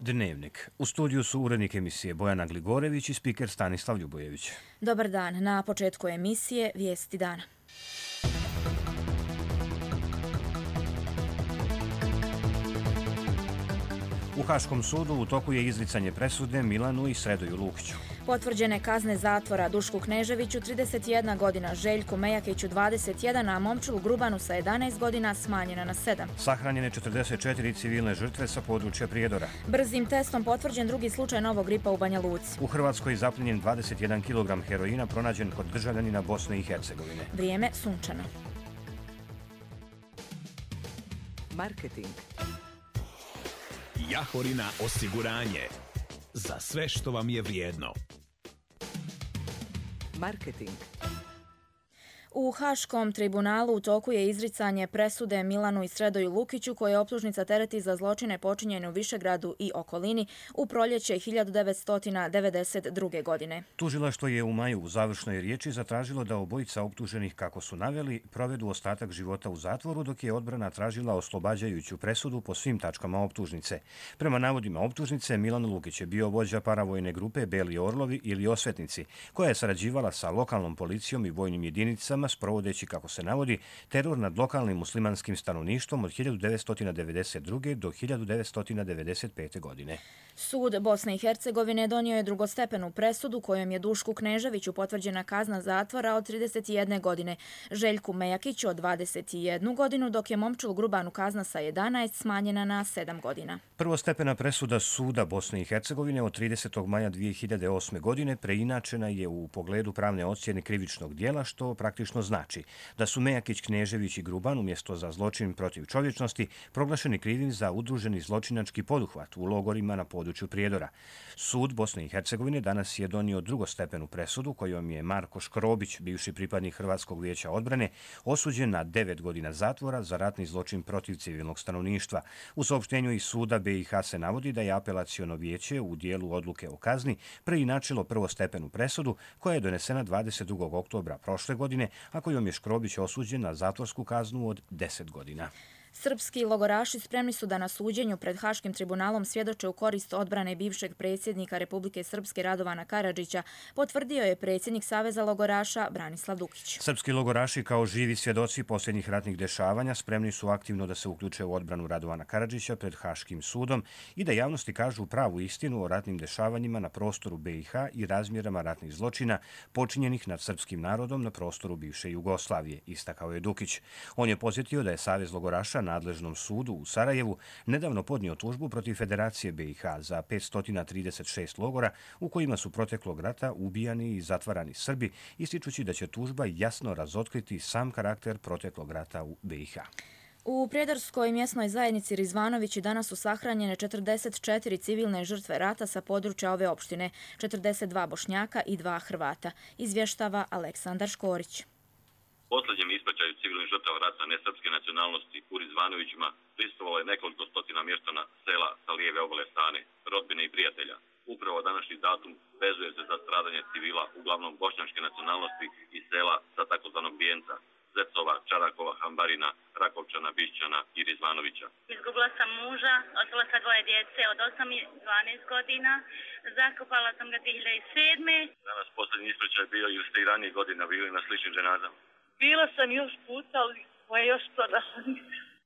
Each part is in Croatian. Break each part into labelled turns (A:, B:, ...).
A: Dnevnik. U studiju su urednik emisije Bojana Gligorević i spiker Stanislav Ljubojević.
B: Dobar dan. Na početku emisije vijesti dana.
A: U Haškom sudu u toku je izricanje presude Milanu i Sredoju Lukiću.
B: Potvrđene kazne zatvora Dušku Kneževiću 31 godina, Željku Mejakiću 21, a Momčilu Grubanu sa 11 godina smanjena na 7.
A: Sahranjene 44 civilne žrtve sa područja Prijedora.
B: Brzim testom potvrđen drugi slučaj novog gripa u Banja Luci.
A: U Hrvatskoj zapljenjen 21 kg heroina pronađen kod državljanina Bosne i Hercegovine.
B: Vrijeme sunčano.
C: Marketing.
D: Jahorina osiguranje. Za sve što vam je vrijedno.
C: Marketing.
B: U Haškom tribunalu u toku je izricanje presude Milanu i Sredoju Lukiću, koje optužnica tereti za zločine počinjene u Višegradu i okolini u proljeće 1992. godine.
A: Tužilaštvo je u maju u završnoj riječi zatražilo da obojica optuženih, kako su naveli, provedu ostatak života u zatvoru, dok je odbrana tražila oslobađajuću presudu po svim tačkama optužnice. Prema navodima optužnice, Milan Lukić je bio vođa paravojne grupe Beli Orlovi ili Osvetnici, koja je sarađivala sa lokalnom policijom i vojnim jedinicama, sprovodeći, kako se navodi, teror nad lokalnim muslimanskim stanovništvom od 1992. do 1995. godine.
B: Sud Bosne i Hercegovine donio je drugostepenu presudu kojom je Dušku Kneževiću potvrđena kazna zatvora od 31 godine, Željku Mejakiću od 21 godinu, dok je Momčilu Grubanu kazna sa 11 smanjena na 7 godina.
A: Prvostepena presuda Suda Bosne i Hercegovine od 30. maja 2008. godine preinačena je u pogledu pravne ocjene krivičnog dijela, što praktično znači da su Mejakić, Knežević i Gruban umjesto za zločin protiv čovječnosti proglašeni krivim za udruženi zločinački poduhvat u logorima na području Prijedora. Sud Bosne i Hercegovine danas je donio drugostepenu presudu kojom je Marko Škrobić, bivši pripadnik Hrvatskog vijeća odbrane, osuđen na 9 godina zatvora za ratni zločin protiv civilnog stanovništva. U saopštenju iz suda BiH se navodi da je apelaciono vijeće u dijelu odluke o kazni preinačilo prvostepenu presudu koja je donesena 22. oktobra prošle godine, a kojom je Škrobić osuđen na zatvorsku kaznu od 10 godina.
B: Srpski logoraši spremni su da na suđenju pred Haškim tribunalom svjedoče u korist odbrane bivšeg predsjednika Republike Srpske Radovana Karadžića, potvrdio je predsjednik Saveza logoraša Branislav Dukić.
A: Srpski logoraši kao živi svjedoci posljednjih ratnih dešavanja spremni su aktivno da se uključe u odbranu Radovana Karadžića pred Haškim sudom i da javnosti kažu pravu istinu o ratnim dešavanjima na prostoru BiH i razmjerama ratnih zločina počinjenih nad srpskim narodom na prostoru bivše Jugoslavije, istakao je Dukić. On je podsjetio da je Savez logoraša nadležnom sudu u Sarajevu nedavno podnio tužbu protiv Federacije BiH za 536 logora u kojima su proteklog rata ubijani i zatvarani Srbi, ističući da će tužba jasno razotkriti sam karakter proteklog rata u BiH.
B: U Prijedorskoj mjesnoj zajednici Rizvanovići danas su sahranjene 44 civilne žrtve rata sa područja ove opštine, 42 Bošnjaka i 2 Hrvata, izvještava Aleksandar Škorić.
E: Posljednjem ispraćaju civilnih žrtava rata nesrpske nacionalnosti u Rizvanovićima prisustvovalo je nekoliko stotina mještana sela sa lijeve obale strane, rodbine i prijatelja. Upravo današnji datum vezuje se za stradanje civila, uglavnom bošnjačke nacionalnosti i sela sa takozvanog Bijenca, Zecova, Čarakova, Hambarina, Rakovčana, Bišćana i Rizvanovića.
F: Izgubila sam muža, ostala sa 2 djece od 8 i 12 godina. Zakopala sam ga 2007.
E: Danas posljednji ispraćaj bio ili ste i ranije godina bili na sličnim ženazama?
F: Bila sam još puta, ali moje još prodala.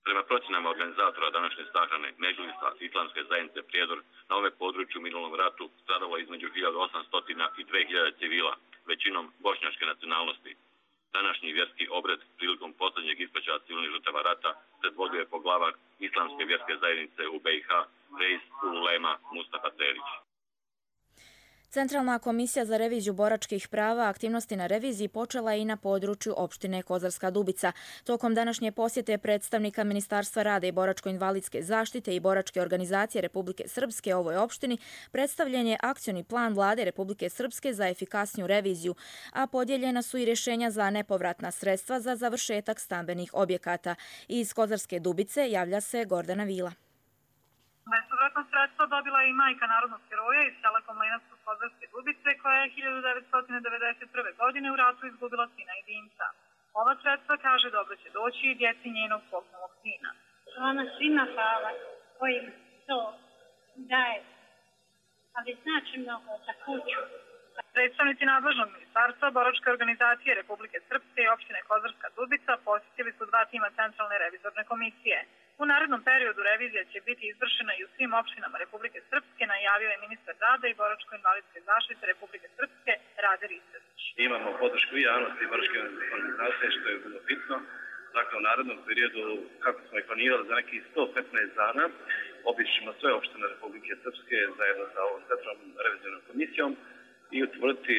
E: Prema procjenama organizatora današnje sahrane Međlisa Islamske zajednice Prijedor, na ove području u minulom ratu stradalo između 1800 i 2000 civila, većinom bošnjačke nacionalnosti. Današnji vjerski obred prilikom posljednjeg ispraćaja civilnih žrtava rata predvodio je poglavar Islamske vjerske zajednice u BiH, Reis Ulema Mustafa Terić.
B: Centralna komisija za reviziju boračkih prava aktivnosti na reviziji počela je i na području opštine Kozarska Dubica. Tokom današnje posjete predstavnika Ministarstva rada i boračko-invalidske zaštite i boračke organizacije Republike Srpske ovoj opštini predstavljen je akcioni plan vlade Republike Srpske za efikasniju reviziju, a podijeljena su i rješenja za nepovratna sredstva za završetak stambenih objekata. Iz Kozarske Dubice javlja se Gordana Vila.
G: Bespovratna sredstva dobila je i majka narodnog heroja iz sela Komlenac Kozarske Dubice, koja je 1991. godine u ratu izgubila sina jedinca. Ova sredstva, kaže, dobro će doći i djeci njenog poginulog sina.
F: Ona svima hvala koji to daje, ali znači mnogo za kuću.
G: Predstavnici nadležnog ministarstva, boračke organizacije Republike Srpske i opštine Kozarska Dubica posjetili su 2 tima Centralne revizorne komisije. U narednom periodu revizija će biti izvršena i u svim opštinama Republike Srpske, najavio je ministar rada i boračko-invalidske zaštite Republike Srpske Rade Ristović.
H: Imamo podršku i javnosti i boračke organizacije, što je bilo bitno. Dakle, u narednom periodu, kako smo i planirali, za nekih 115 dana obićemo sve opštine Republike Srpske zajedno sa ovom Centralnom revizornom komisijom i utvrditi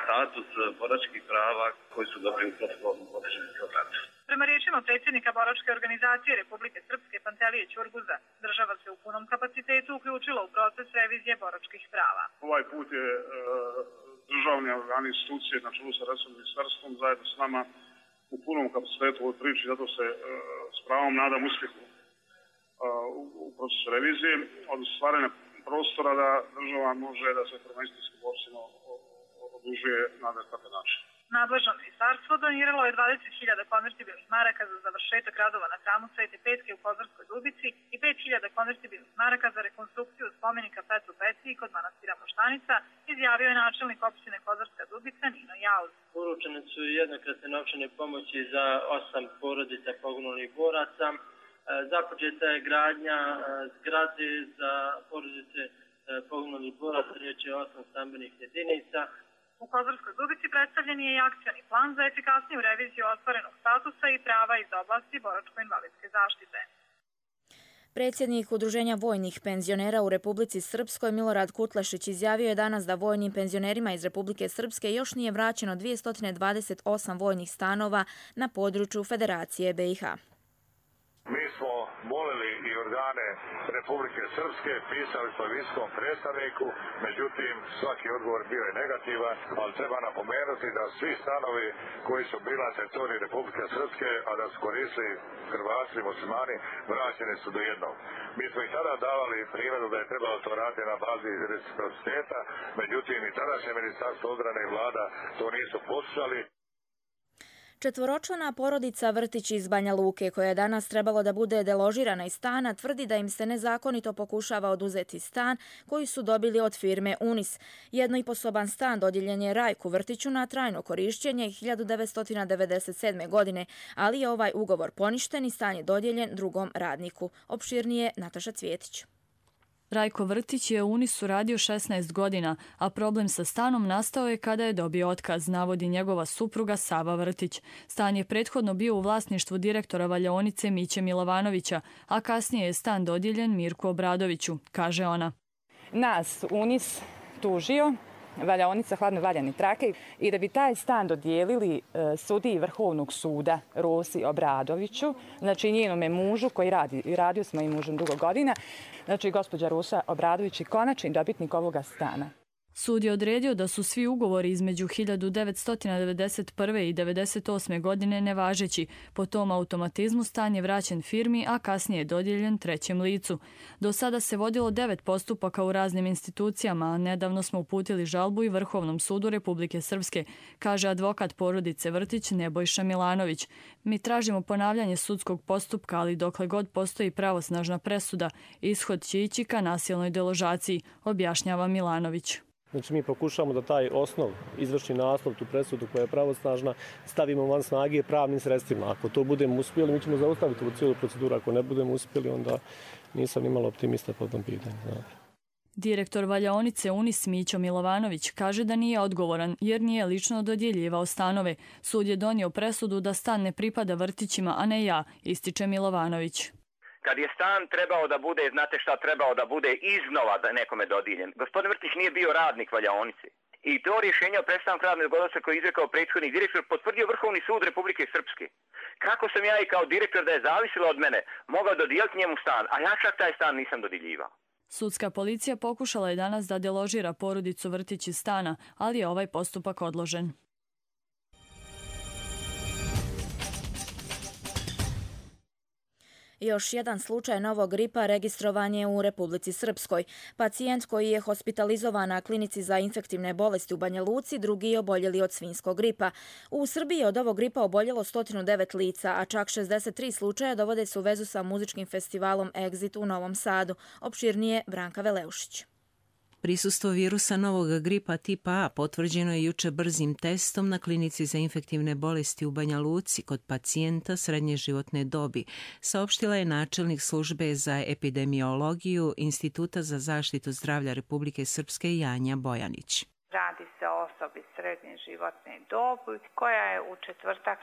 H: status boračkih prava koji su dobri u protokolnom određenom programu.
G: Prema riječima predsjednika boračke organizacije Republike Srpske Pantelije Ćurguza, država se u punom kapacitetu uključila u proces revizije boračkih prava.
I: Ovaj put je državni organi institucije na čelu sa resornim ministarstvom zajedno s nama u punom kapacitetu u ovoj priči, zato se s pravom nadam uspjehu u procesu revizije od stvaranja prostora da država može da se prvenstvenski borcima odužuje na adekvatan način.
G: Nadležno ministarstvo doniralo je 20.000 konvertibilnih maraka za završetak radova na hramu Svete Petke u Kozarskoj Dubici i 5.000 konvertibilnih maraka za rekonstrukciju spomenika Petru Petri kod manastira Moštanica, izjavio je načelnik opštine Kozarska Dubica Nino Jauz.
J: Uručene su jednokratne novčane pomoći za 8 porodica poginulih boraca. Započeta je gradnja zgrade za porodice poginulih boraca, riječ je o 8 stambenih jedinica.
G: U Kozarskoj Dubici predstavljen je i akcioni plan za efikasniju reviziju ostvarenog statusa i prava iz oblasti boračko-invalidske zaštite.
B: Predsjednik Udruženja vojnih penzionera u Republici Srpskoj Milorad Kutlašić izjavio je danas da vojnim penzionerima iz Republike Srpske još nije vraćeno 228 vojnih stanova na području Federacije BiH.
K: Mi smo molili i organe Republike Srpske, pisali smo visokom predstavniku, međutim svaki odgovor bio je negativan, ali treba napomenuti da svi stanovi koji su bili na teritoriji Republike Srpske, a da su koristili Hrvati i muslimani, vraćeni su do jednog. Mi smo i tada davali primjeru da je trebalo to raditi na bazi reciprociteta, međutim i tadašnje Ministarstvo odbrane i vlada to nisu poslušali.
B: Četvoročlana porodica Vrtić iz Banja Luke, koja je danas trebalo da bude deložirana iz stana, tvrdi da im se nezakonito pokušava oduzeti stan koji su dobili od firme Unis. Jednoiposoban stan dodijeljen je Rajku Vrtiću na trajno korišćenje 1997. godine, ali je ovaj ugovor poništen i stan je dodijeljen drugom radniku. Opširnije Nataša Cvjetić.
L: Rajko Vrtić je u Unisu radio 16 godina, a problem sa stanom nastao je kada je dobio otkaz, navodi njegova supruga Sava Vrtić. Stan je prethodno bio u vlasništvu direktora valjaonice Miće Milovanovića, a kasnije je stan dodijeljen Mirku Obradoviću, kaže ona.
M: Nas Unis tužio, valjaonica Hladno Valjani Trake, i da bi taj stan dodijelili sudiji Vrhovnog suda Rosi Obradoviću, znači njenome mužu koji radio s mojim mužem dugo godina, znači gospođa Rosa Obradović je konačni dobitnik ovoga stana.
L: Sud je odredio da su svi ugovori između 1991. i 1998. godine nevažeći. Po tom automatizmu stan je vraćen firmi, a kasnije je dodijeljen trećem licu. Do sada se vodilo 9 postupaka u raznim institucijama, a nedavno smo uputili žalbu i Vrhovnom sudu Republike Srpske, kaže advokat porodice Vrtić Nebojša Milanović. Mi tražimo ponavljanje sudskog postupka, ali dokle god postoji pravosnažna presuda, ishod će ići ka nasilnoj deložaciji, objašnjava Milanović.
N: Znači mi pokušamo da taj osnov, izvršni naslov, tu presudu koja je pravosnažna, stavimo van snage pravnim sredstvima. Ako to budemo uspjeli, mi ćemo zaustaviti u cijelu proceduru. Ako ne budemo uspjeli, onda nisam imala optimista po tom pitanju.
L: Direktor valjaonice Unis Mićo Milovanović kaže da nije odgovoran jer nije lično dodjeljivao stanove. Sud je donio presudu da stan ne pripada Vrtićima, a ne ja, ističe Milovanović.
O: Kad je stan trebao da bude, znate šta trebao da bude iznova da nekome dodijeljen. Gospodin Vrtić nije bio radnik valjaonice. I to rješenje o prestanku radnog odnosa koje je izrekao prethodni direktor potvrdio Vrhovni sud Republike Srpske. Kako sam ja i kao direktor da je zavisilo od mene mogao dodijeliti njemu stan, a ja čak taj stan nisam dodjeljivao.
L: Sudska policija pokušala je danas da deložira porodicu Vrtić iz stana, ali je ovaj postupak odložen.
B: Još jedan slučaj novog gripa registrovan je u Republici Srpskoj. Pacijent koji je hospitalizovan na klinici za infektivne bolesti u Banja Luci, drugi je oboljeli od svinjskog gripa. U Srbiji je od ovog gripa oboljelo 109 lica, a čak 63 slučaja dovode se u vezu sa muzičkim festivalom Exit u Novom Sadu. Opširnije Branka Veleušić.
P: Prisustvo virusa novog gripa tipa A potvrđeno je juče brzim testom na klinici za infektivne bolesti u Banja Luci kod pacijenta srednje životne dobi, saopštila je načelnik službe za epidemiologiju Instituta za zaštitu zdravlja Republike Srpske Janja Bojanić.
Q: Radi se o osobi srednje životne dobi koja je u četvrtak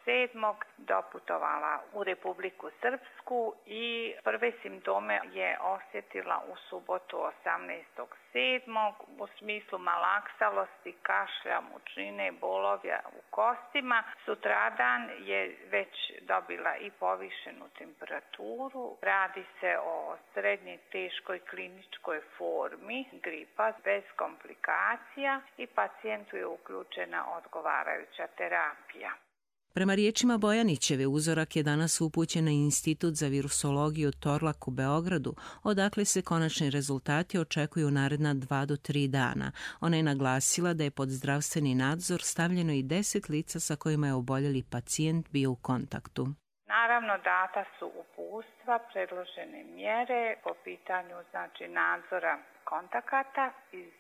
Q: 16.7. doputovala u Republiku Srpsku i prve simptome je osjetila u subotu 18.7. u smislu malaksalosti, kašlja, mučnine, bolovja u kostima. Sutradan je već dobila i povišenu temperaturu. Radi se o srednje teškoj kliničkoj formi gripa bez komplikacija i pacijentu je uključena odgovarajuća terapija.
P: Prema riječima Bojanićeve, uzorak je danas upućen na Institut za virusologiju Torlak u Beogradu, odakle se konačni rezultati očekuju u naredna 2 do 3 dana. Ona je naglasila da je pod zdravstveni nadzor stavljeno i 10 lica sa kojima je oboljeli pacijent bio u kontaktu.
Q: Naravno, data su uputstva, predložene mjere po pitanju nadzora kontakata iz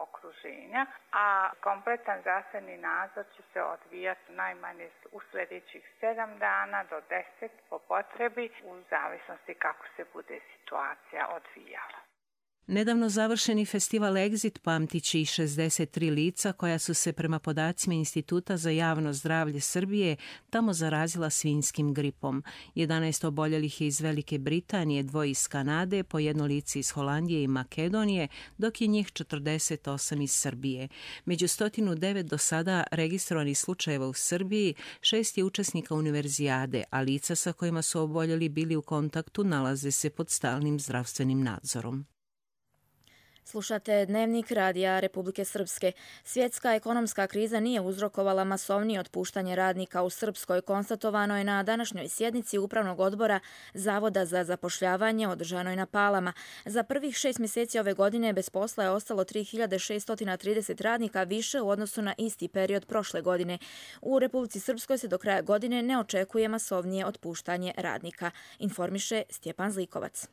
Q: okruženja, a kompletan zdravstveni nadzor će se odvijati najmanje u sljedećih 7 dana do 10 po potrebi u zavisnosti kako se bude situacija odvijala.
P: Nedavno završeni festival Exit pamtići i 63 lica koja su se prema podacima Instituta za javno zdravlje Srbije tamo zarazila svinjskim gripom. 11 oboljelih je iz Velike Britanije, 2 iz Kanade, po 1 lice iz Holandije i Makedonije, dok je njih 48 iz Srbije. Među 109 do sada registrovanih slučajeva u Srbiji, 6 je učesnika univerzijade, a lica sa kojima su oboljeli bili u kontaktu nalaze se pod stalnim zdravstvenim nadzorom.
B: Slušate Dnevnik radija Republike Srpske. Svjetska ekonomska kriza nije uzrokovala masovnije otpuštanje radnika u Srpskoj, konstatovano je na današnjoj sjednici Upravnog odbora Zavoda za zapošljavanje održanoj na Palama. Za prvih 6 mjeseci ove godine bez posla je ostalo 3630 radnika više u odnosu na isti period prošle godine. U Republici Srpskoj se do kraja godine ne očekuje masovnije otpuštanje radnika, informiše Stjepan Zlikovac.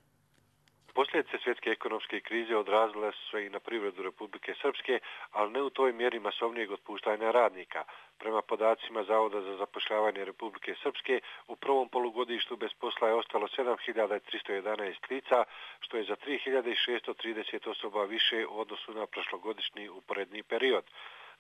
R: Posljedice svjetske ekonomske krize odrazile su se i na privredu Republike Srpske, ali ne u toj mjeri masovnijeg otpuštanja radnika. Prema podacima Zavoda za zapošljavanje Republike Srpske, u prvom polugodištu bez posla je ostalo 7311 lica, što je za 3630 osoba više u odnosu na prošlogodišnji uporedni period.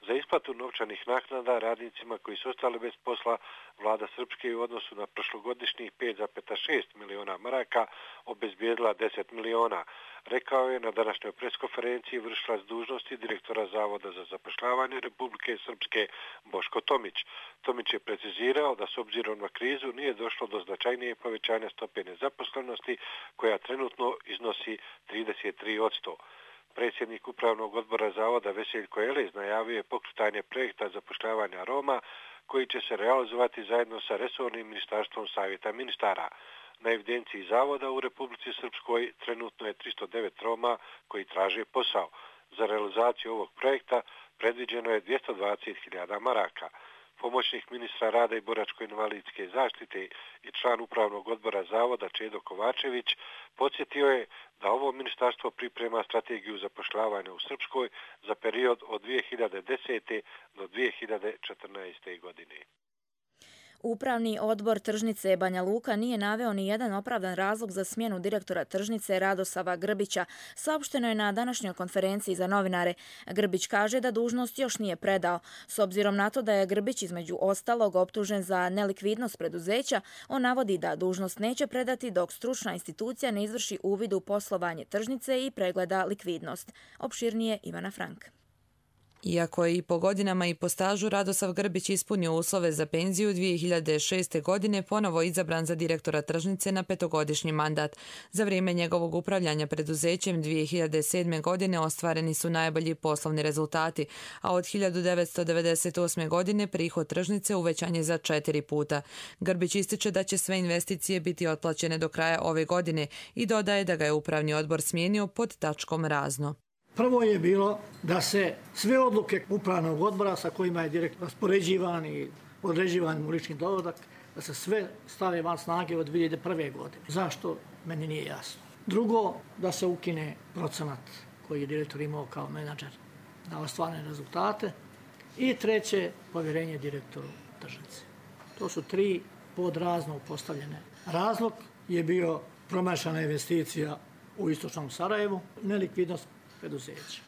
R: Za isplatu novčanih naknada radnicima koji su ostali bez posla, vlada Srpske u odnosu na prošlogodišnjih 5,6 miliona maraka obezbijedila 10 miliona. Rekao je na današnjoj preskonferenciji vršilac dužnosti direktora Zavoda za zapošljavanje Republike Srpske Boško Tomić. Tomić je precizirao da s obzirom na krizu nije došlo do značajnije povećanja stope nezaposlenosti koja trenutno iznosi 33%. Predsjednik Upravnog odbora Zavoda Veseljko Elez najavio je pokretanje projekta zapošljavanja Roma koji će se realizovati zajedno sa resornim ministarstvom Savjeta ministara. Na evidenciji Zavoda u Republici Srpskoj trenutno je 309 Roma koji traže posao. Za realizaciju ovog projekta predviđeno je 220.000 maraka. Pomoćnik ministra rada i boračko-invalidske zaštite i član Upravnog odbora Zavoda Čedo Kovačević podsjetio je da ovo ministarstvo priprema strategiju zapošljavanja u Srpskoj za period od 2010. do 2014. godine.
B: Upravni odbor tržnice Banja Luka nije naveo ni jedan opravdan razlog za smjenu direktora tržnice Radosava Grbića. Saopšteno je na današnjoj konferenciji za novinare. Grbić kaže da dužnost još nije predao. S obzirom na to da je Grbić između ostalog optužen za nelikvidnost preduzeća, on navodi da dužnost neće predati dok stručna institucija ne izvrši uvid u poslovanje tržnice i pregleda likvidnost. Opširnije Ivana Frank.
S: Iako je i po godinama i po stažu Radosav Grbić ispunio uslove za penziju, 2006. godine ponovo izabran za direktora tržnice na 5-godišnji mandat. Za vrijeme njegovog upravljanja preduzećem 2007. godine ostvareni su najbolji poslovni rezultati, a od 1998. godine prihod tržnice uvećan je za 4 puta. Grbić ističe da će sve investicije biti otplaćene do kraja ove godine i dodaje da ga je upravni odbor smijenio pod tačkom razno.
T: Prvo je bilo da se sve odluke upravnog odbora sa kojima je direktor raspoređivan i određivan mu lični dohodak, da se sve stave van snage od 2001. godine. Zašto? Meni nije jasno. Drugo, da se ukine procenat koji je direktor imao kao menadžer na ostvarene rezultate. I treće, povjerenje direktoru tržnice. To su 3 podrazno postavljene. Razlog je bio promašana investicija u istočnom Sarajevu, nelikvidnost preduzeća.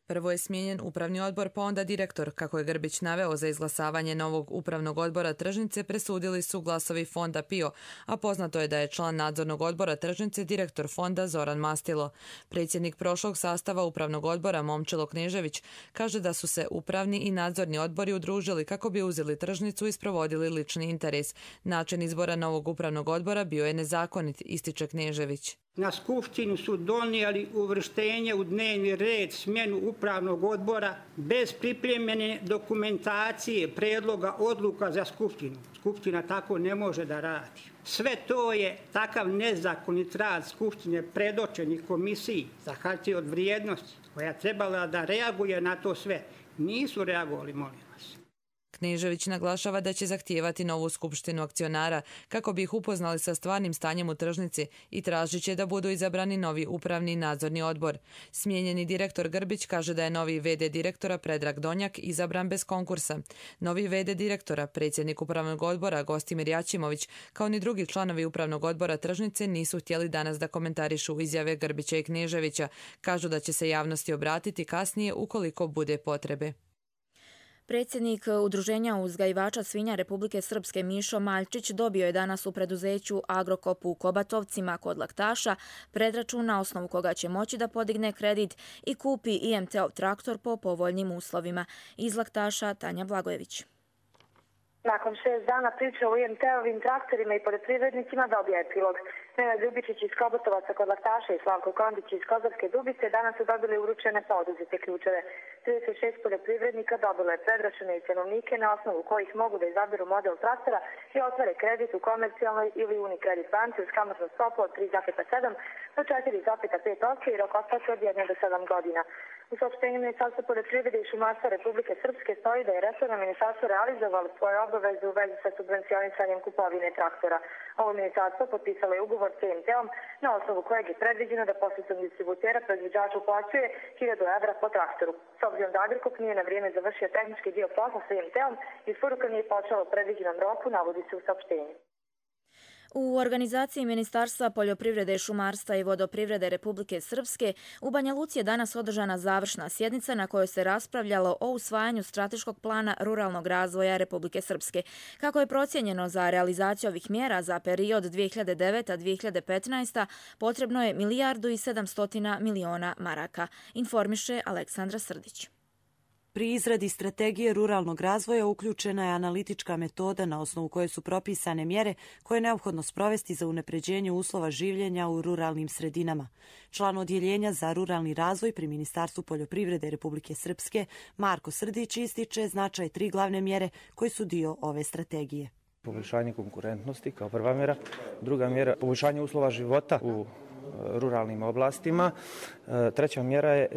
S: Prvo je smijenjen upravni odbor, pa onda direktor. Kako je Grbić naveo, za izglasavanje novog upravnog odbora tržnice presudili su glasovi fonda PIO, a poznato je da je član nadzornog odbora tržnice direktor fonda Zoran Mastilo. Predsjednik prošlog sastava upravnog odbora Momčilo Knežević kaže da su se upravni i nadzorni odbori udružili kako bi uzeli tržnicu i sprovodili lični interes. Način izbora novog upravnog odbora bio je nezakonit, ističe Knežević.
U: Na skupštinu su donijeli uvrštenje u dnevni red smjenu upravnog odbora bez pripremljene dokumentacije, predloga odluka za skupštinu. Skupština tako ne može da radi. Sve to je takav nezakonit rad skupštine predočenih komisiji za hartije od vrijednosti koja je trebala da reaguje na to sve. Nisu reagovali, molim vas.
S: Knežević naglašava da će zahtijevati novu skupštinu akcionara kako bi ih upoznali sa stvarnim stanjem u tržnici i tražit će da budu izabrani novi upravni i nadzorni odbor. Smijenjeni direktor Grbić kaže da je novi VD direktora Predrag Donjak izabran bez konkursa. Novi VD direktora, predsjednik upravnog odbora Gostimir Jačimović, kao ni drugi članovi upravnog odbora tržnice nisu htjeli danas da komentarišu izjave Grbića i Kneževića. Kažu da će se javnosti obratiti kasnije ukoliko bude potrebe.
B: Predsjednik Udruženja uzgajivača svinja Republike Srpske Mišo Maljčić dobio je danas u preduzeću Agrokop u Kobatovcima kod Laktaša predračun na osnovu koga će moći da podigne kredit i kupi IMT-ov traktor po povoljnim uslovima. Iz Laktaša Tanja Blagojević.
V: Nakon 6 dana priče o IMT-ovim traktorima i poljoprivrednicima dobija epilog. Nenad Ljubičić iz Kobotovaca kod Laktaša i Slavko Kondić iz Kozarske Dubice danas su dobili uručene poduzete ključeve. 36 poljoprivrednika dobilo je predračune i cenovnike na osnovu kojih mogu da izaberu model traktora i otvore kredit u komercijalnoj ili Unicredit banci uz kamatnu stopu od 3,7 do 4,5% i rok otplate od 1 do 7 godina. U saopštenju Ministarstva poljoprivrede i šumarstva Republike Srpske stoji da je resorno ministarstvo realizovalo svoje obaveze u vezi sa subvencionisanjem kupovine traktora. Ovo ministarstvo potpisalo je ugovor s IMT-om na osnovu kojeg je predviđeno da posredstvom distributera proizvođač uplaćuje 1000 evra po traktoru. S obzirom da Agrokop nije na vrijeme završio tehnički dio posla sa IMT-om, isporuka nije počela u predviđenom roku, navodi se u saopštenju.
B: U organizaciji Ministarstva poljoprivrede, šumarstva i vodoprivrede Republike Srpske u Banja Luci je danas održana završna sjednica na kojoj se raspravljalo o usvajanju strateškog plana ruralnog razvoja Republike Srpske. Kako je procijenjeno za realizaciju ovih mjera za period 2009-2015, potrebno je 1,7 milijardi maraka, informiše Aleksandra Srdić.
W: Pri izradi strategije ruralnog razvoja uključena je analitička metoda na osnovu koje su propisane mjere koje je neophodno sprovesti za unapređenje uslova življenja u ruralnim sredinama. Član odjeljenja za ruralni razvoj pri Ministarstvu poljoprivrede Republike Srpske Marko Srdić ističe značaj 3 glavne mjere koji su dio ove strategije.
X: Poboljšanje konkurentnosti kao prva mjera, druga mjera poboljšanje uslova života u ruralnim oblastima, treća mjera je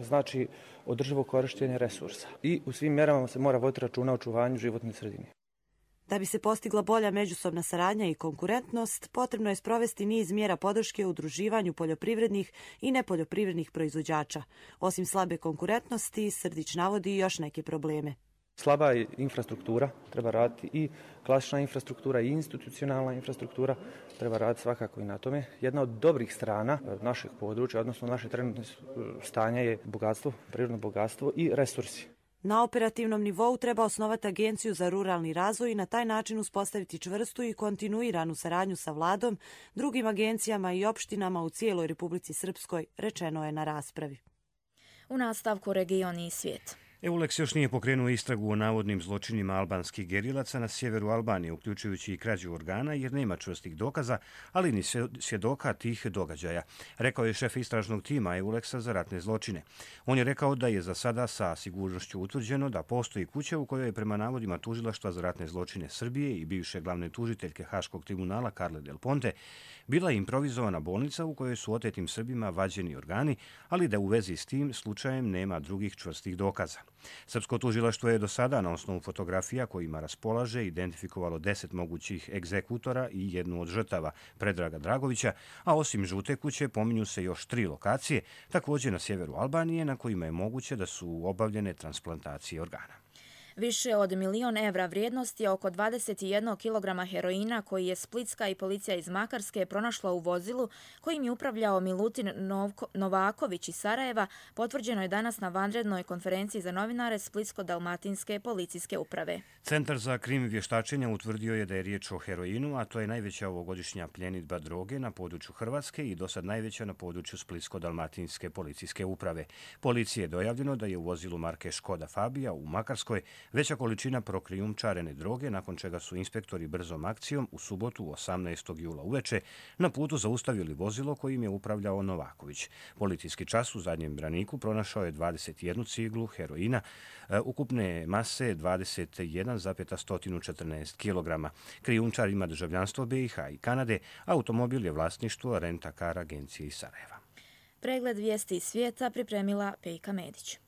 X: znači održivo korištenje resursa i u svim mjerama se mora voditi računa o očuvanju životne sredine.
W: Da bi se postigla bolja međusobna saradnja i konkurentnost, potrebno je sprovesti niz mjera podrške u udruživanju poljoprivrednih i nepoljoprivrednih proizvođača. Osim slabe konkurentnosti, Srdić navodi još neke probleme.
X: Slaba je infrastruktura, treba raditi i klasična infrastruktura i institucionalna infrastruktura, treba raditi svakako i na tome. Jedna od dobrih strana našeg područja, odnosno naše trenutne stanje je bogatstvo, prirodno bogatstvo i resursi.
W: Na operativnom nivou treba osnovati Agenciju za ruralni razvoj i na taj način uspostaviti čvrstu i kontinuiranu saradnju sa vladom, drugim agencijama i opštinama u cijeloj Republici Srpskoj, rečeno je na raspravi.
B: U nastavku region i svijet.
A: EULEX još nije pokrenuo istragu o navodnim zločinima albanskih gerilaca na sjeveru Albanije, uključujući i krađu organa, jer nema čvrstih dokaza, ali ni svjedoka tih događaja, rekao je šef istražnog tima EULEX-a za ratne zločine. On je rekao da je za sada sa sigurnošću utvrđeno da postoji kuća u kojoj je prema navodima tužilaštva za ratne zločine Srbije i bivše glavne tužiteljke Haškog tribunala Carle Del Ponte bila improvizovana bolnica u kojoj su otetim Srbima vađeni organi, ali da u vezi s tim slučajem nema drugih čvrstih dokaza. Srpsko tužilaštvo je do sada na osnovu fotografija kojima raspolaže identifikovalo 10 mogućih egzekutora i jednu od žrtava, Predraga Dragovića, a osim žute kuće pominju se još 3 lokacije, također na sjeveru Albanije, na kojima je moguće da su obavljene transplantacije organa.
B: Više od 1 milion evra vrijednosti je oko 21 kilograma heroina koji je splitska i policija iz Makarske pronašla u vozilu kojim je upravljao Milutin Novaković iz Sarajeva, potvrđeno je danas na vanrednoj konferenciji za novinare Splitsko-dalmatinske policijske uprave.
A: Centar za krim vještačenja utvrdio je da je riječ o heroinu, a to je najveća ovogodišnja pljenidba droge na području Hrvatske i dosad najveća na području Splitsko-dalmatinske policijske uprave. Policiji je dojavljeno da je u vozilu marke Škoda Fabija u Makarskoj veća količina prokrijumčarene droge, nakon čega su inspektori brzom akcijom u subotu 18. jula uveče na putu zaustavili vozilo kojim je upravljao Novaković. Policijski čas u zadnjem braniku pronašao je 21 ciglu heroina, ukupne mase 21,114 kg. Krijumčar ima državljanstvo BiH i Kanade, automobil je vlasništvo Rent-a-car agencije iz Sarajeva.
B: Pregled vijesti iz svijeta pripremila Pejka Medić.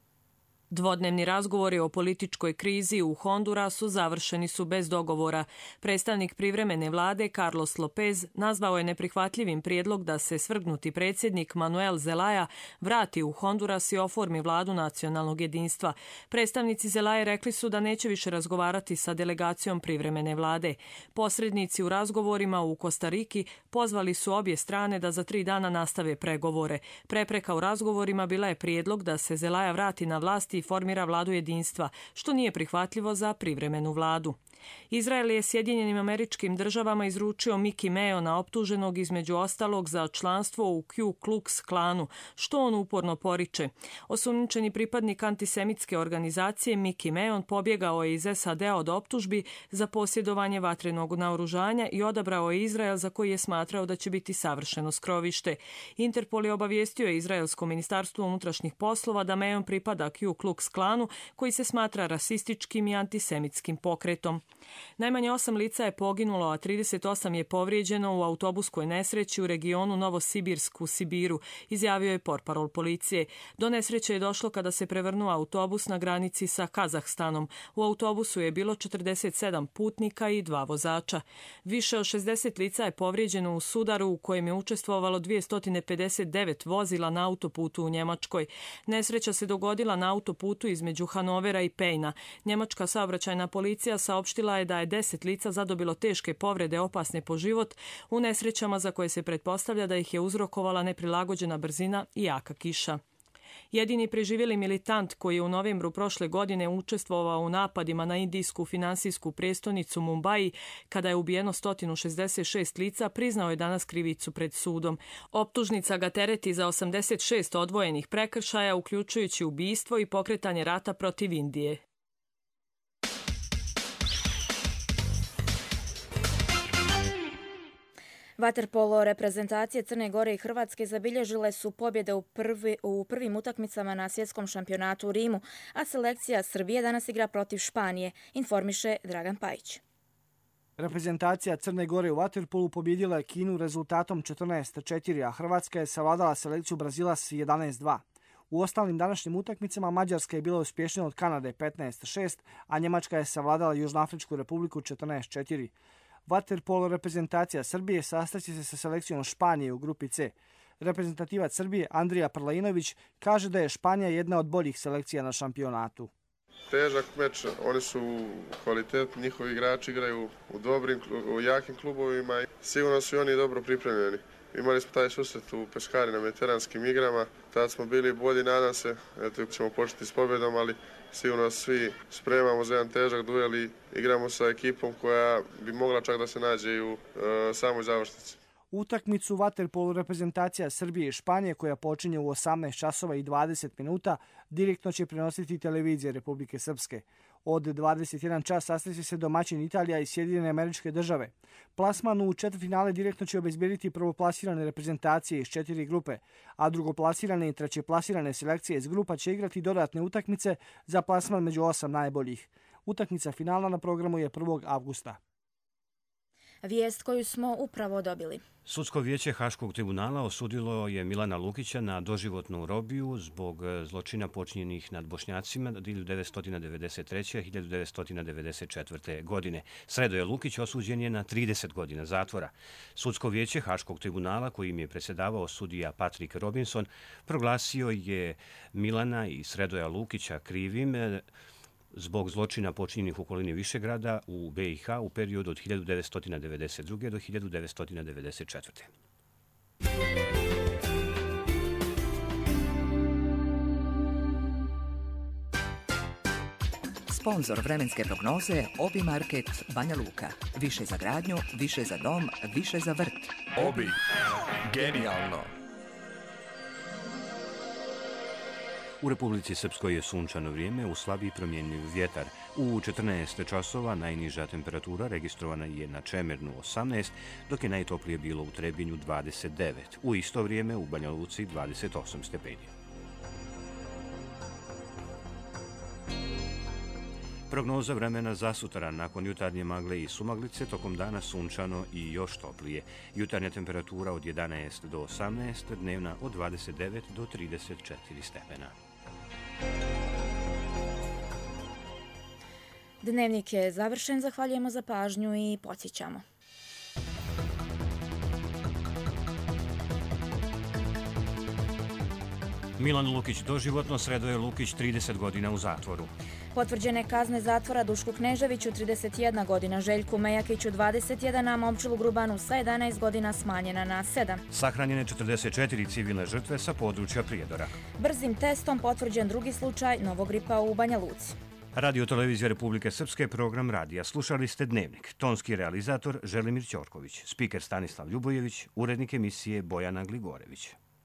C: Dvodnevni razgovori o političkoj krizi u Hondurasu završeni su bez dogovora. Predstavnik privremene vlade Carlos Lopez nazvao je neprihvatljivim prijedlog da se svrgnuti predsjednik Manuel Zelaya vrati u Honduras i oformi vladu nacionalnog jedinstva. Predstavnici Zelaye rekli su da neće više razgovarati sa delegacijom privremene vlade. Posrednici u razgovorima u Kostariki pozvali su obje strane da za 3 dana nastave pregovore. Prepreka u razgovorima bila je prijedlog da se Zelaya vrati na vlast i formira vladu jedinstva, što nije prihvatljivo za privremenu vladu. Izrael je Sjedinjenim Američkim Državama izručio Mickey Meona, optuženog između ostalog za članstvo u Ku Klux Klanu, što on uporno poriče. Osumnjičeni pripadnik antisemitske organizacije Mickey Meon pobjegao je iz SAD-a od optužbi za posjedovanje vatrenog naoružanja i odabrao je Izrael, za koji je smatrao da će biti savršeno skrovište. Interpol je obavijestio Izraelsko ministarstvo unutrašnjih poslova da Meon pripada Ku Klux Klanu, koji se smatra rasističkim i antisemitskim pokretom. Najmanje 8 lica je poginulo, a 38 je povrijeđeno u autobuskoj nesreći u regionu Novosibirsk u Sibiru, izjavio je portparol policije. Do nesreće je došlo kada se prevrnuo autobus na granici sa Kazahstanom. U autobusu je bilo 47 putnika i 2 vozača. Više od 60 lica je povrijeđeno u sudaru u kojem je učestvovalo 259 vozila na autoputu u Njemačkoj. Nesreća se dogodila na autoputu između Hanovera i Pejna. Njemačka saobraćajna policija saopštila je da je 10 lica zadobilo teške povrede opasne po život u nesrećama za koje se pretpostavlja da ih je uzrokovala neprilagođena brzina i jaka kiša. Jedini preživjeli militant koji je u novembru prošle godine učestvovao u napadima na indijsku finansijsku prijestolnicu Mumbai, kada je ubijeno 166 lica, priznao je danas krivicu pred sudom. Optužnica ga tereti za 86 odvojenih prekršaja, uključujući ubistvo i pokretanje rata protiv Indije.
B: Vaterpolo reprezentacije Crne Gore i Hrvatske zabilježile su pobjede u prvim utakmicama na svjetskom šampionatu u Rimu, a selekcija Srbije danas igra protiv Španije, informiše Dragan Pajić.
D: Reprezentacija Crne Gore u vaterpolu pobjedila je Kinu rezultatom 14:4, a Hrvatska je savladala selekciju Brazila s 11:2. U ostalim današnjim utakmicama Mađarska je bila uspješnija od Kanade 15:6, a Njemačka je savladala Južnoafričku republiku 14:4. Vaterpolo reprezentacija Srbije sastaće se sa selekcijom Španije u grupi C. Reprezentativac Srbije Andrija Prlainović kaže da je Španija jedna od boljih selekcija na šampionatu.
E: Težak meč, oni su kvalitetni, njihovi igrači igraju u jakim klubovima i sigurno su i oni dobro pripremljeni. Imali smo taj susret u Peskari na veteranskim igrama, tad smo bili bolji, nadam se, eto ćemo početi s pobjedom, ali sigurno svi spremamo za jedan težak duel i igramo sa ekipom koja bi mogla čak da se nađe i u samoj završnici.
D: Utakmicu vaterpolu reprezentacija Srbije i Španije koja počinje u 18 časova i 20 minuta direktno će prenositi televizije Republike Srpske. Od 21 čas sastaće se domaćin Italija i Sjedinjene Američke Države. Plasman u četvrtfinale direktno će obezbediti prvoplasirane reprezentacije iz 4 grupe, a drugoplasirane i trećeplasirane selekcije iz grupa će igrati dodatne utakmice za plasman među 8 najboljih. Utakmica finalna na programu je 1. avgusta.
B: Vijest koju smo upravo dobili.
A: Sudsko vijeće Haškog tribunala osudilo je Milana Lukića na doživotnu robiju zbog zločina počinjenih nad Bošnjacima 1993. i 1994. godine. Sredoje Lukić osuđen je na 30 godina zatvora. Sudsko vijeće Haškog tribunala, kojim je predsjedavao sudija Patrick Robinson, proglasio je Milana i Sredoja Lukića krivim zbog zločina počinjenih u okolini Višegrada u BiH u periodu od 1992. do 1994.
F: Sponzor vremenske prognoze Obi Market Banja Luka. Više za gradnju, više za dom, više za vrt.
H: Obi. Genijalno.
A: U Republici Srpskoj je sunčano vrijeme u slabiji promjenjiv vjetar. U 14 časova najniža temperatura registrovana je na Čemernu 18, dok je najtoplije bilo u Trebinju 29. U isto vrijeme u Banja Luci 28 stepeni. Prognoza vremena za sutra nakon jutarnje magle i sumaglice, tokom dana sunčano i još toplije. Jutarnja temperatura od 11 do 18, dnevna od 29 do 34 stepena.
B: Dnevnik je završen, zahvaljujemo za pažnju i podsjećamo.
A: Milan Lukić doživotno, Sredoje Lukić 30 godina u zatvoru.
B: Potvrđene kazne zatvora Dušku Kneževiću 31 godina, Željku Mejakiću 21, a Momčilu Grubanu sa 11 godina smanjena na 7.
A: Sahranjene 44 civilne žrtve sa područja Prijedora.
B: Brzim testom potvrđen drugi slučaj novogripa u Banja Luci.
A: Radio Televizija Republike Srpske, program radija. Slušali ste Dnevnik. Tonski realizator Želimir Ćorković, spiker Stanislav Ljubojević, urednik emisije Bojana Gligorević.